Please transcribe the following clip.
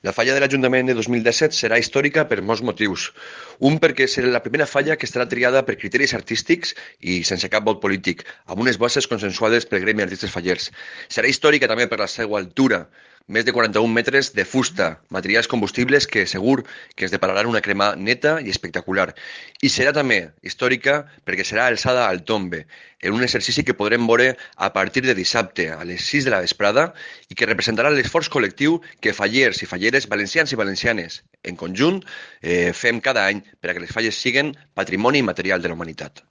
La falla de l'Ajuntament de 2017 serà històrica per molts motius. Un, perquè serà la primera falla que estarà triada per criteris artístics i sense cap vot polític, amb unes bases consensuades pel Gremi d'Artistes Fallers. Serà històrica també per la seva altura, més de 41 metres de fusta, materials combustibles que segur que ens depararan una crema neta i espectacular. I serà també històrica perquè serà alçada al tombe, en un exercici que podrem veure a partir de dissabte a les 6 de la vesprada i que representarà l'esforç col·lectiu que fallers i falleres, valencians i valencianes, en conjunt, fem cada any perquè les falles siguin patrimoni immaterial de la humanitat.